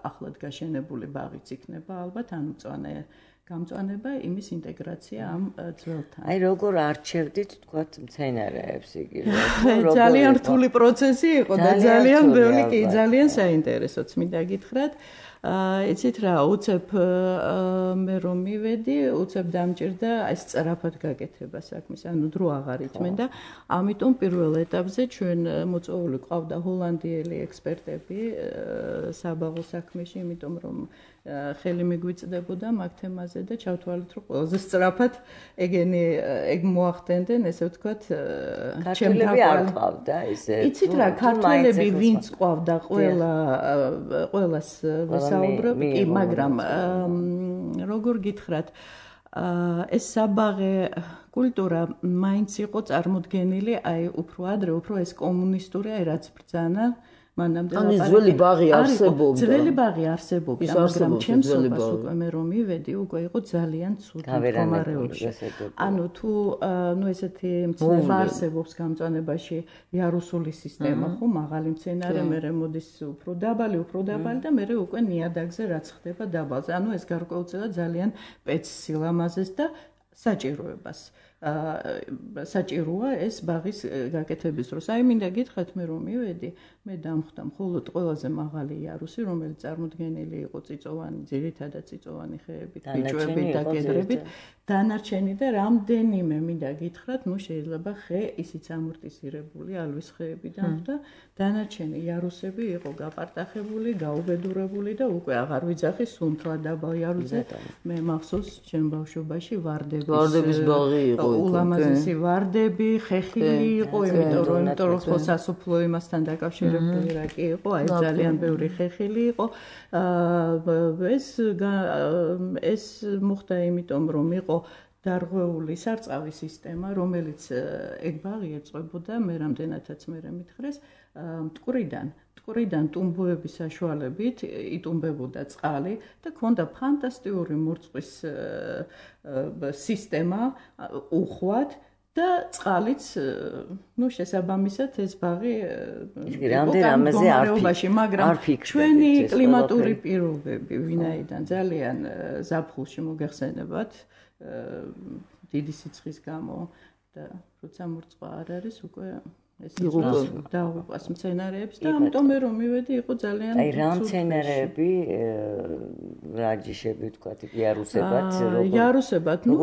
ახლად გაშენებული ბაღიც იქნება ალბათ, ანუ მწვანე გამწვანება, იმის ინტეგრაცია ამ ძველთან. აი როგორ არჩევდით, თქვათ, მცენარეებს იგი? ძალიან რთული პროცესი იყო და ძალიან ბევრი კი ძალიან საინტერესოც მინდა გითხრათ. იცით რა, უცებ მე რომ მივედი, უცებ დამჭირდა აი სწრაფად გაკეთება საქმის, ანუ დრო აღარ იწმენდა. ამიტომ პირველ ეტაპზე ჩვენ მოწვეული ყავდა ჰოლანდიელი ექსპერტები საბაღო საქმეში, იმიტომ რომ ხელი მიგვიწდებოდა მაგ თემაზე და ჩავთვალეთ, რომ ყველაზე სწრაფად ეგენი ეგ მოახდენდნენ, ესე ვთქვათ, ქართველები არ ყავდა ესე. იცით რა, ქართველები ვინც ყავდა, ყველა ყველას ვისაუბრებ, კი, მაგრამ როგორ გითხრათ, ეს საბაღე კულტურა მაინც იყო წარმოდგენილი, აი უფრო ადრე, უფრო ეს კომუნისტური, აი რაც ბრძანა მანამდე ანუ ძველი ბაღი არსებობდა. ძველი ბაღი არსებობდა, მაგრამ ჩემსობას უკვე მე რომ მივედი, უკვე იყო ძალიან ცუდი მდგომარეობაში. ანუ თუ ნუ ესეთი მცნება არსებობს გამწვანებაში იარუსული სისტემა, ხო, მაღალი მცენარე, მერე მოდის უფრო დაბალი, უფრო დაბალი და მერე უკვე ნიადაგზე რაც ხდება დაბალზე. ანუ ეს გარკვეულწილად ძალიან პეც სილამაზეს და საჭიროებას. საჭიროა ეს ბაღის გაკეთების დროს. აი მინდა გითხრათ მე რომ მივედი, მე დამხვდა მხოლოდ ყველაზე მაღალი იარუსი, რომელიც წარმოდგენილი იყო წიწოვანი, ძირითადად წიწოვანი ხეებით, ბიჭვებით და კედრებით. დანარჩენი და რამდენიმე მინდა გითხრათ, ნუ შეიძლება ხე ისიც ამორტიზირებული, ალვის ხეები დამხვდა. დანარჩენი იარუსები იყო გაპარტახებული, გაუბედურებული და უკვე აღარ ვიძახი სუნთლა დაბალ იარუსზე. მე მახსოვს ჩემ ბავშვობაში ვარდების ვარდების ბაღი იყო. ულამაზესი ვარდები, ხეხილი იყო, იმიტომ რომ იმიტომ რომ ხო სასოფლო იმასთან დაკავშირებული რა კი იყო, აი ძალიან ბევრი ხეხილი იყო. ეს ეს მოხდა იმიტომ რომ იყო დარღვეული სარწყავი სისტემა, რომელიც ეგ ბაღი ეწყვებოდა, მე რამდენადაც მე მითხრეს, მტკვრიდან, მტკვრიდან ტუმბოების საშუალებით იტუმბებოდა წყალი და ქონდა ფანტასტიკური მორწყვის სისტემა უხვად და წყალიც, ნუ შესაბამისად ეს ბაღი რამდენადმე არ მაგრამ ჩვენი კლიმატური პირობები ვინაიდან ძალიან ზაფხულში მოგეხსენებათ დიდი სიცხის გამო და როცა მორწყვა არ არის უკვე ეს დაუყვას მცენარეებს და ამიტომ მე რომ მივედი იყო ძალიან აი რა მცენარეები რაჯიშები ვთქვათ იარუსებად იარუსებად ნუ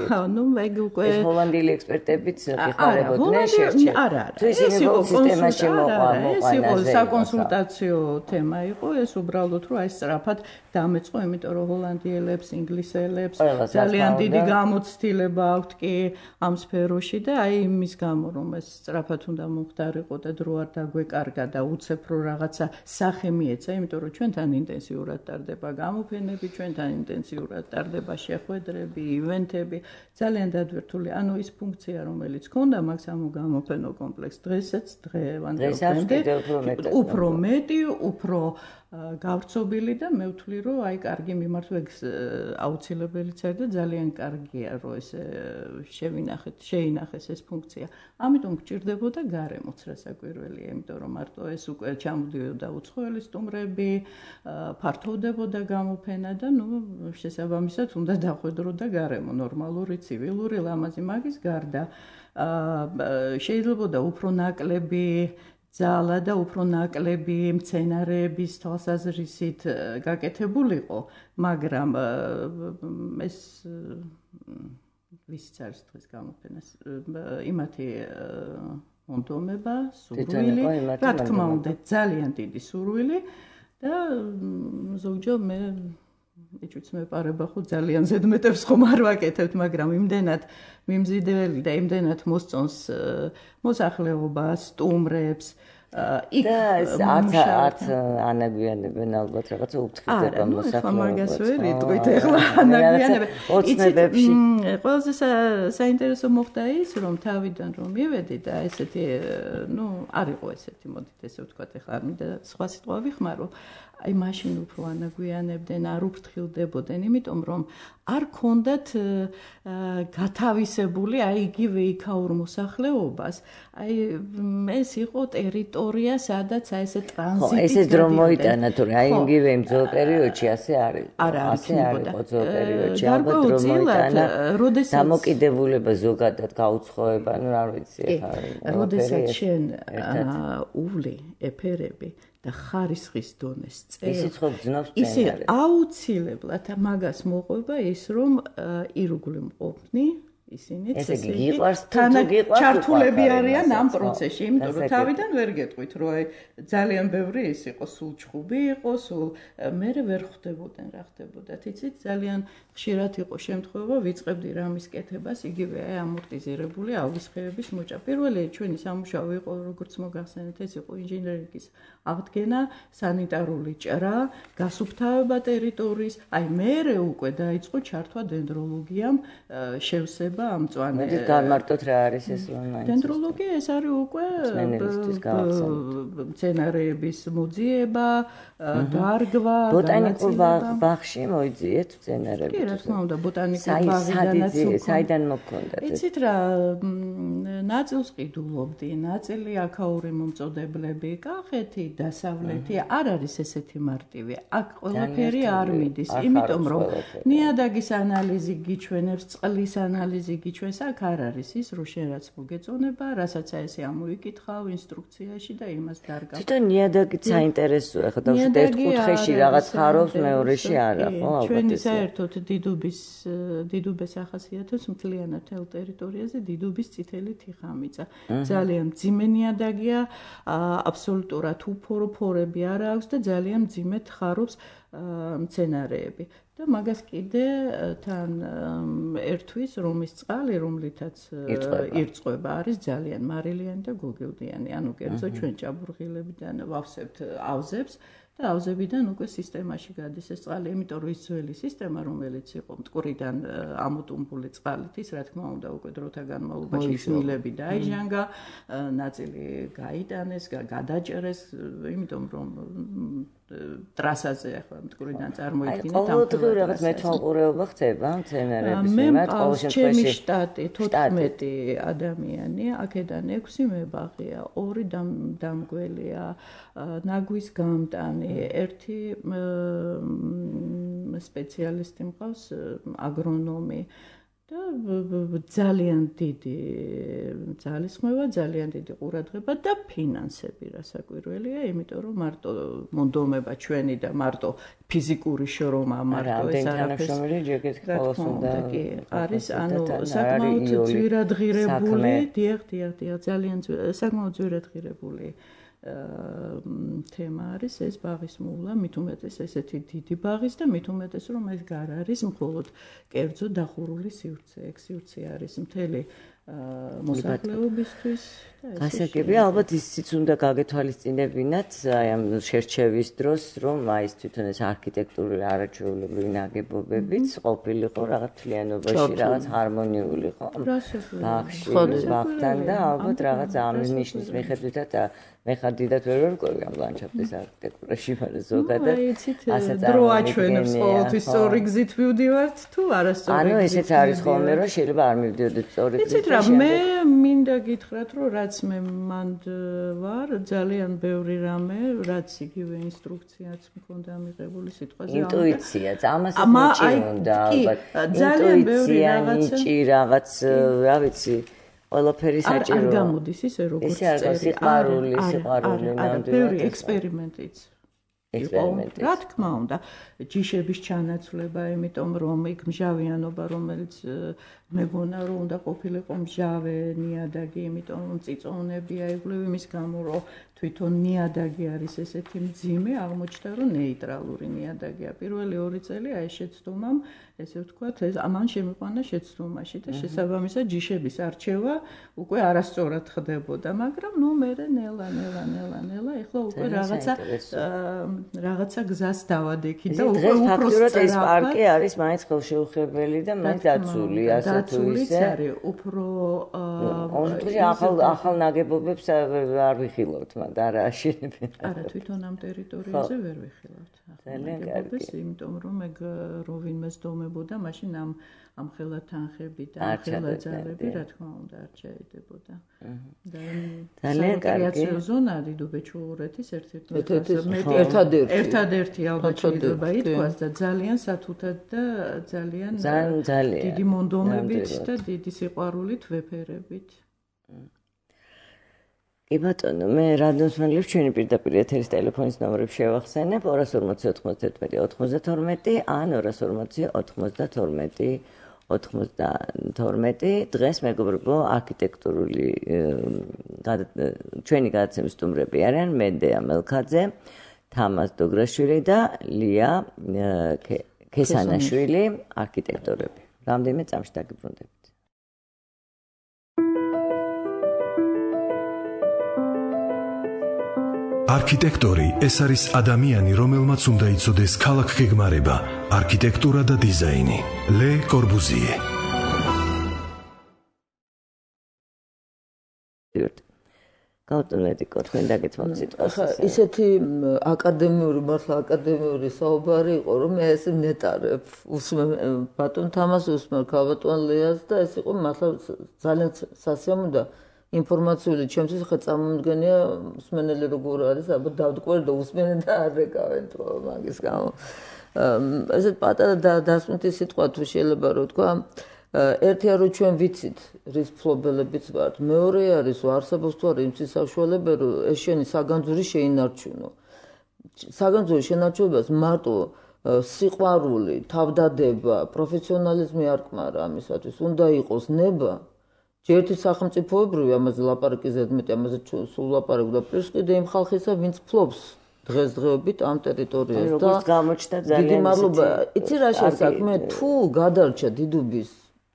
ხა ნუ ეგ უკვე ეს ჰოლანდიელი ექსპერტებიც ხიხარებოდნენ შეერჩეთ არა არა ეს იყო სისტემაში მოყვა ეს იყო საკონსულტაციო თემა იყო ეს უბრალოდ რომ აი სწრაფად დამეწყო იმიტომ რომ ჰოლანდიელებს ინგლისელებს ძალიან დიდი გამოცდილება აქვთ კი ამ სფეროში და აი იმის გამო რომ ეს სწრაფად უნდა მომხდარიყო და დრო არ დაგვეკარგა და უცებ რო რაღაცა სახე მიეცა იმიტომ რომ ჩვენთან ინტენსიურად ტარდება გამოფენები ჩვენთან ინტენსიურად ტარდება შეხვედრები ივენთები ძალიან დადვერთული ანუ ის ფუნქცია რომელიც ქონდა მაგ სამო გამოფენო კომპლექსს დღესაც დღევანდელ უფრო მეტი უფრო გავრცობილი და მე ვთვლი რომ აი კარგი მიმართვა აუცილებელიც არის და ძალიან კარგია რომ ეს შევინახეთ შეინახეს ეს ფუნქცია ამიტომ გჭირდებოდა გარემოც რასაკვირველია იმიტომ რომ მარტო ეს უკვე ჩამოდიოდა უცხოელი სტუმრები ფართოვდებოდა გამოფენა და ნუ შესაბამისად უნდა დახვედროდა გარემო ნორმალური ცივილური ლამაზი მაგის გარდა შეიძლება უფრო ნაკლები ძალა და უფრო ნაკლები მცენარეების თვალსაზრისით გაკეთებულიყო, მაგრამ ეს ვისიც არის დღეს გამოფენას იმათი მონდომება, სურვილი, რა თქმა უნდა, ძალიან დიდი სურვილი და ზოგჯერ მე ეჭვიც მეპარება ხო ძალიან ზედმეტებს ხომ არ ვაკეთებთ, მაგრამ იმდენად მიმზიდველი და იმდენად მოსწონს მოსახლეობას, სტუმრებს იქ არც ანაგვიანებენ ალბათ რაღაცა უფრთხილდება მოსახლეობას. მაგას ვერ იტყვით ახლა ანაგვიანებენ. ოცნებებში ყველაზე საინტერესო მოხდა ის, რომ თავიდან რომ მივედი და ესეთი, ნუ არ იყო ესეთი, მოდით ესე ვთქვათ, ახლა არ მინდა სხვა სიტყვა ვიხმარო. აი მაშინ უფრო ანაგვიანებდნენ, არ უფრთხილდებოდნენ, იმიტომ რომ არ ქონდათ გათავისებული აი იგივე იქაურ მოსახლეობას. აი ეს იყო ტერიტორია, სადაც აი ესე ტრანზიტი. ხო, ესე დრო მოიტანა, თორე აი იგივე იმ ძველ პერიოდში ასე არის. ასე არის ძველ პერიოდში, ალბათ დრო მოიტანა. დამოკიდებულება ზოგადად გაუცხოება, ნუ არ ვიცი ახლა. როდესაც შენ უვლი, ეფერები და და ხარისხის დონეს წერა. ისიც ხო გძნობს წენარებს. ისე აუცილებლად მაგას მოყვება ის რომ ირგვლივ მყოფნი ისინი ესე იგი გიყვარს თუ გიყვარს ჩართულები არიან ამ პროცესში, იმიტომ რომ თავიდან ვერ გეტყვით, რომ აი ძალიან ბევრი ის იყო, სულ ჩხუბი იყო, სულ მე ვერ ხვდებოდნენ რა ხდებოდათ. იცით, ძალიან ხშირად იყო შემთხვევა, ვიწყებდი რამის კეთებას, იგივე აი ამორტიზირებული აურის ხეების მოჭა. პირველი ჩვენი სამუშაო იყო, როგორც მოგახსენეთ, ეს იყო ინჟინერიის აღდგენა, სანიტარული ჭრა, გასუფთავება ტერიტორიის, აი მერე უკვე დაიწყო ჩართვა დენდროლოგიამ, შევსება ამწვანე. მე გამარტოთ რა არის ეს ონლაინ. დენდროლოგია ეს არის უკვე მცენარეების მოძიება, დარგვა, ბოტანიკურ ბაღში მოიძიეთ მცენარეებს. კი, რა თქმა უნდა, ბოტანიკურ ბაღიდანაც უკვე. საიდან მოგქონდათ? იცით რა, ნაწილს ყიდულობდი, ნაწილი აქაური მომწოდებლები, კახეთი, დასავლეთი, არ არის ესეთი მარტივი. აქ ყველაფერი არ მიდის, იმიტომ რომ ნიადაგის ანალიზი გიჩვენებს, წყლის ანალიზი გიჩვენს, აქ არ არის ის, რომ შენ რაც მოგეწონება, რასაც ესე ამოიკითხავ ინსტრუქციაში და იმას დარგავ. თვითონ ნიადაგიც საინტერესოა, ხო, დავუშვით ერთ კუთხეში რაღაც ხარობს, მეორეში არა, ხო, ალბათ. ჩვენი საერთოდ დიდუბის დიდუბეს ახასიათებს მთლიანად თელ ტერიტორიაზე დიდუბის წითელი თიხამიწა. ძალიან მძიმე ნიადაგია, აბსოლუტურად უფორო ფორები არ აქვს და ძალიან მძიმედ ხარობს მცენარეები. და მაგას კიდე თან ერთვის რომის წყალი, რომლითაც ირწყვება, არის ძალიან მარილიანი და გოგელდიანი. ანუ კერძო ჩვენ ჭაბურღილებიდან ვავსებთ ავზებს და ავზებიდან უკვე სისტემაში გადის ეს წყალი, იმიტომ რომ ის ძველი სისტემა, რომელიც იყო მტკვრიდან ამოტუმბული წყალით, ის რა თქმა უნდა უკვე დროთა განმავლობაში ხმილები დაიჟანგა, ნაწილი გაიტანეს, გადაჭერეს, იმიტომ რომ ტრასაზე ახლა მტკვრიდან წარმოიდგინეთ ამ ყოველდღიურ რაღაც მეთვალყურეობა ხდება მცენარეების მიმართ ყოველ შემთხვევაში ჩემი შტატი თოთხმეტი ადამიანი, აქედან ექვსი მებაღია, ორი დამგველია, ნაგვის გამტანი, ერთი სპეციალისტი მყავს, აგრონომი და ძალიან დიდი ძალისხმევა, ძალიან დიდი ყურადღება და ფინანსები რასაკვირველია, იმიტომ რომ მარტო მონდომება ჩვენი და მარტო ფიზიკური შრომა, მარტო ეს არაფერს ყოველს უნდა არის, ანუ საკმაოდ ძვირადღირებული, დიახ, დიახ, დიახ, ძალიან საკმაოდ ძვირადღირებული თემა არის ეს ბაღის მოვლა, მით უმეტეს ესეთი დიდი ბაღის და მით უმეტეს რომ ეს გარ არის მხოლოდ კერძო დახურული სივრცე, ეგ სივრცე არის მთელი მოსახლეობისთვის და ეს გასაგებია, ალბათ ისიც უნდა გაგეთვალისწინებინათ აი ამ შერჩევის დროს, რომ აი ეს თვითონ ეს არქიტექტურული არაჩვეულებრივი ნაგებობებიც ყოფილიყო რაღაც თლიანობაში, რაღაც ჰარმონიული ხო? ბაღში, ბაღთან და ალბათ რაღაც ამ ნიშნის მიხედვითაც მე ხარ დიდად ვერ ვერკვევი ამ ლანდშაფტის არქიტექტურაში, მაგრამ ზოგადად ასეც დრო აჩვენებს ყოველთვის სწორი გზით მივდივართ თუ არასწორი გზით. ანუ ესეც არის ხოლმე, რომ შეიძლება არ მივდიოდეთ სწორი გზით. იცით რა, მე მინდა გითხრათ, რომ რაც მე მანდ ვარ, ძალიან ბევრი რამე, რაც იგივე ინსტრუქციაც მქონდა მიღებული სიტყვაზე. ინტუიცია, ამასაც ნიჭი უნდა ალბათ. ძალიან ბევრი რაღაცა. ნიჭი რაღაც, რა ვიცი, ყველაფერი საჭიროა. არ გამოდის ისე როგორც წერი. ისე არ სიყვარული, სიყვარული ნამდვილად. ბევრი ექსპერიმენტიც. ექსპერიმენტი. რა თქმა უნდა, ჯიშების ჩანაცვლება, იმიტომ რომ იქ მჟავიანობა, რომელიც მეგონა რომ უნდა ყოფილიყო მჟავე ნიადაგი, იმიტომ რომ წიწონებია იგივე იმის გამო, რომ თვითონ ნიადაგი არის ესეთი მძიმე, აღმოჩნდა რომ ნეიტრალური ნიადაგია. პირველი ორი წელი აი შეცდომამ, ესე ვთქვათ, ეს ამან შემიყვანა შეცდომაში და შესაბამისად ჯიშების არჩევა უკვე არასწორად ხდებოდა, მაგრამ ნუ მერე ნელა, ნელა, ნელა, ნელა, ეხლა უკვე რაღაცა რაღაცა გზას დავადექი და უკვე ფაქტურად ეს პარკი არის მაინც ხელშეუხებელი და მაინც დაცული, ასე თუ ისე. უფრო ოღონდ ახალ ახალ ნაგებობებს არ ვიხილავთ, მაგრამ არა აშენებენ. არა, თვითონ ამ ტერიტორიაზე ვერ ვიხილავთ. ძალიან კარგი. იმიტომ რომ ეგ რო ვინმეს დომებოდა, მაშინ ამ ამ ხელათანხები და ამ ხელაძალები, რა თქმა უნდა, არ ჩაედებოდა. და ძალიან კარგი ზონა დიდუბეჩუურეთის ერთ-ერთი ერთადერთი ერთადერთი ალბათ შეიძლება ითქვას და ძალიან სათუთად და ძალიან დიდი მონდომებით და დიდი სიყვარულით ვეფერებით. კი ბატონო, მე რადიოსმენელებს ჩვენი პირდაპირ ეთერის ტელეფონის ნომრებს შევახსენებ ორას ორმოცი ოთხმოცდათერთმეტი ოთხმოცდათორმეტი ან ორას ორმოცი ოთხმოცდათორმეტი ოთხმოცდათორმეტი. დღეს მეგობრებო, არქიტექტურული ჩვენი გადაცემის სტუმრები არიან მედეა მელქაძე, თამაზ დოგრაშვილი და ლია ქესანაშვილი, არქიტექტორები. რამდენიმე წამში დაგიბრუნდებით. არქიტექტორი ეს არის ადამიანი, რომელმაც უნდა იცოდეს ქალაქგეგმარება, არქიტექტურა და დიზაინი. ლე კორბუზიე. გაუტოლედიკო თქვენ დაგეცმოთ სიტყვას. ხა ისეთი აკადემიური, მართლა აკადემიური საუბარი იყო, რომ მე ეს ნეტარებ უსმენ ბატონ თამას უსმენ ქალბატონ ლეას და ეს იყო მართლა ძალიან სასიამოვნო ინფორმაციული ჩემთვის ხა წარმომდგენია უსმენელი როგორ არის, აბა დავდკვერ და უსმენენ და არ ეკავენ თქო მაგის გამო. ესეთ პატარა დასმითი სიტყვა თუ შეიძლება რომ თქვა, ერთია რომ ჩვენ ვიცით რის ფლობელებიც ვართ, მეორე არის რომ არსებობს თუ არა იმის საშუალება რომ ეს შენი საგანძური შეინარჩუნო. საგანძური შენარჩუნებას მარტო სიყვარული, თავდადება, პროფესიონალიზმი არ კმარა ამისათვის, უნდა იყოს ნება. ერთი სახელმწიფოებრივი ამაზე ლაპარაკი ზედმეტი ამაზე სულ ლაპარაკი და პლუს კიდე იმ ხალხისა ვინც ფლობს დღესდღეობით ამ ტერიტორიას და გამოჩნდა ძალიან დიდი მადლობა. იცი რა შესაქმე თუ გადარჩა დიდუბის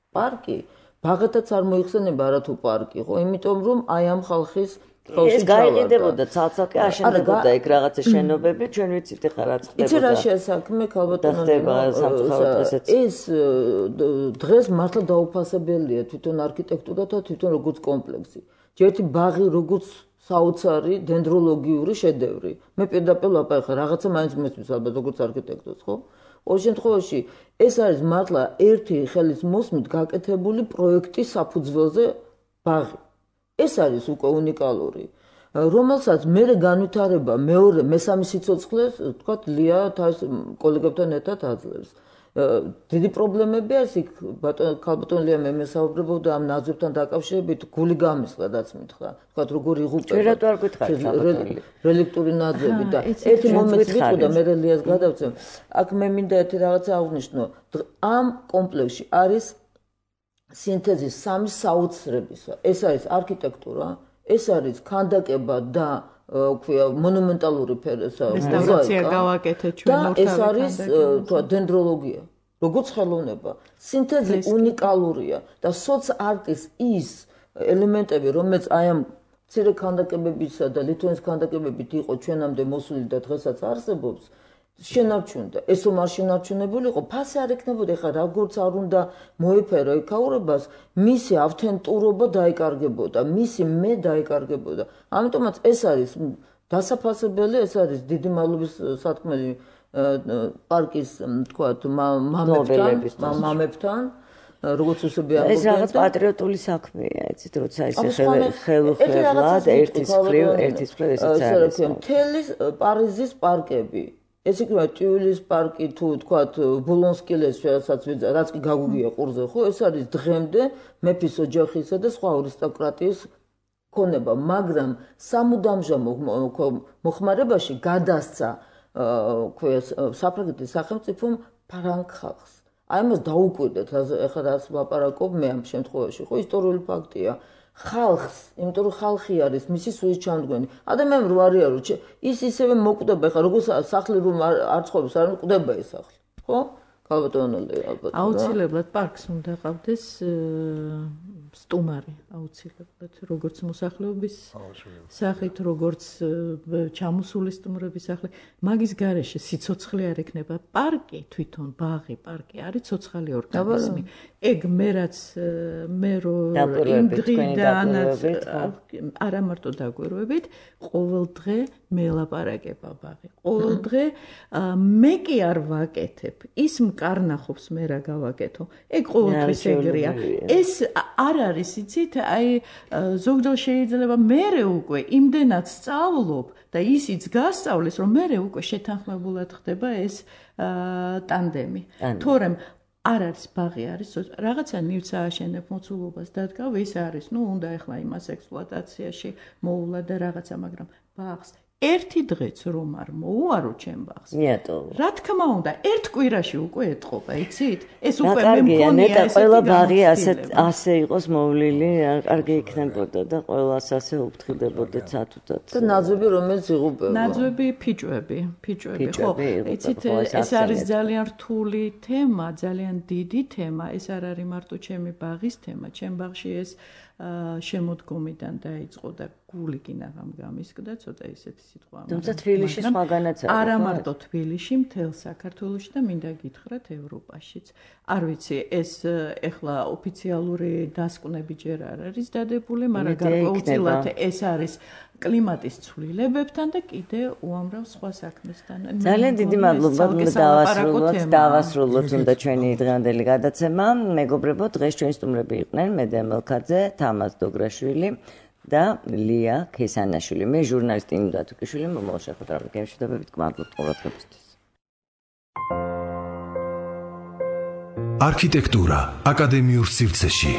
პარკი ბაღეთაც არ მოიხსენება არათუ პარკი ხო იმიტომ რომ აი ამ ხალხის ეს გაიყიდებოდა ცალ-ცალკე აშენდებოდა იქ რაღაცა შენობები ჩვენ ვიცით ხა რა ხდებოდა. იცი რა შესაქმე ქალბატონო ეს დღეს მართლა დაუფასებელია თვითონ არქიტექტურა და თვითონ როგორც კომპლექსი. ერთი ბაღი როგორც საოცარი დენდროლოგიური შედევრი. მე პირდაპირ ლაპარაკი რაღაცა მაინც მესმის ალბათ როგორც არქიტექტორს ხო? ორ შემთხვევაში ეს არის მართლა ერთი ხელის მოსმით გაკეთებული პროექტის საფუძველზე ბაღი. ეს არის უკვე უნიკალური, რომელსაც მე განვითარება მეორე მესამე სიცოცხლეს, თქვა ლია თავის კოლეგებთან ერთად აძლევს. დიდი პრობლემები არის იქ ქალბატონ ლია მე მესაუბრებობდა ამ ნაძვებთან დაკავშირებით, გული გამისლა რაც მითხრა. თქვა როგორ იღუპება. რა თუ არ გითხარით ქალბატონი. რელიქტური ნაძვები და ერთი მომენტი ვიტყო და მე რელიას გადავწევ. აქ მე მინდა ერთი რაღაცა აღვნიშნო. ამ კომპლექსში არის სინთეზის სამი საოცრებისა. ეს არის არქიტექტურა, ეს არის ქანდაკება და ქვია მონუმენტალური რესტავრაცია გავაკეთეთ ჩვენ და ეს არის თქვა დენდროლოგია, როგორც ხელოვნება. სინთეზი უნიკალურია და სოც-არტის ის ელემენტები, რომელიც აი ამ მცირე ქანდაკებებისა და ლითონის ქანდაკებებით იყო ჩვენამდე მოსული და დღესაც არსებობს, შენარჩუნდა. ეს რომ არ შენარჩუნებულიყო, ფასი არ ეკნებოდა, ხა როგორც არ უნდა მოეფერო ეკაურებას, მისი ავთენტურობა დაიკარგებოდა, მისი მე დაიკარგებოდა. ამიტომაც ეს არის დასაფასებელი, ეს არის დიდი მადლობის სათქმელი პარკის, თქვათ, მამებთან, მამებთან, როგორც უსები ამბობენ. ეს რაღაც პატრიოტული საქმეა, იცით, როცა ისე ხელუხლებლად ერთის მხრივ, ერთის მხრივ ესეც არის. მთელი პარიზის პარკები ეს იქნება ტიულის პარკი თუ თქვათ ბულონსკილეს შესაძაც რაც კი გაგუგია ყურზე ხო ეს არის დღემდე მეფის ოჯახისა და სხვა არისტოკრატიის ქონება მაგრამ სამუდამჟამო მოხმარებაში გადასცა ქვია საფრანგეთის სახელმწიფომ ფრანგ ხალხს აი მას დაუკვირდეთ ეხლა რაც ლაპარაკობ მე ამ შემთხვევაში ხო ისტორიული ფაქტია ხალხს, იმიტომ რომ ხალხი არის მისი სულის ჩამდგენი. ადამიანები რო არიან, რომ ის ისევე მოკვდება, ხა როგორც სახლი რომ არ ცხოვრობს, არ მოკვდება ეს სახლი. ხო? ქალბატონოლე ალბათ. აუცილებლად პარკს უნდა ყავდეს სტუმარი, აუცილებლად, როგორც მოსახლეობის სახით, როგორც ჩამოსული სტუმრების სახით. მაგის გარეშე სიცოცხლე არ ექნება. პარკი თვითონ, ბაღი, პარკი არის ცოცხალი ორგანიზმი. ეგ მე რაც მე რო იმ დღიდანაც არა მარტო დაგვირვებით, ყოველ დღე მე ლაპარაკება ბაღი. ყოველ დღე მე კი არ ვაკეთებ. ის მკარნახობს მე რა გავაკეთო. ეგ ყოველთვის ეგრეა. ეს არ არის, იცით, აი ზოგჯერ შეიძლება მე უკვე იმდენად სწავლობ და ისიც გასწავლის, რომ მე უკვე შეთანხმებულად ხდება ეს ტანდემი. თორემ არ არის ბაღი არის რაღაცა ნივთს ააშენებ მოცულობას დადგავ ის არის ნუ უნდა ეხლა იმას ექსპლუატაციაში მოულა და რაღაცა მაგრამ ბაღს ერთი დღეც რომ არ მოუარო ჩემ ბაღს ნიატო რა თქმა უნდა ერთ კვირაში უკვე ეთყობა იცით ეს უკვე მე მგონია ეს ყველა ბაღი ასე ასე იყოს მოვლილი კარგი იქნებოდა და ყველას ასე უფრთხილდებოდა ცათუდად და ნაძვები რომელიც იღუპება ნაძვები ფიჭვები ფიჭვები ხო იცით ეს არის ძალიან რთული თემა ძალიან დიდი თემა ეს არ არის მარტო ჩემი ბაღის თემა ჩემ ბაღში ეს შემოდგომიდან დაიწყო და გული კინაღამ გამისკდა ცოტა ისეთი სიტყვა თუმცა თბილისში სხვაგანაც არის არა მარტო თბილისში მთელ საქართველოში და მინდა გითხრათ ევროპაშიც არ ვიცი ეს ეხლა ოფიციალური დასკვნები ჯერ არ არის დადებული მაგრამ გარკვეულწილად ეს არის კლიმატის ცვლილებებთან და კიდე უამრავ სხვა საქმესთან ძალიან დიდი მადლობა დავასრულოთ დავასრულოთ უნდა ჩვენი დღევანდელი გადაცემა მეგობრებო დღეს ჩვენი სტუმრები იყვნენ მედია მელქაძე თამაზ დოგრაშვილი და ლია ქესანაშვილი მე ჟურნალისტი ნინო დათუკიშვილი მომავალ შეხვედრამდე გემშვიდობებით გმადლობთ ყურადღებისთვის არქიტექტურა აკადემიურ სივრცეში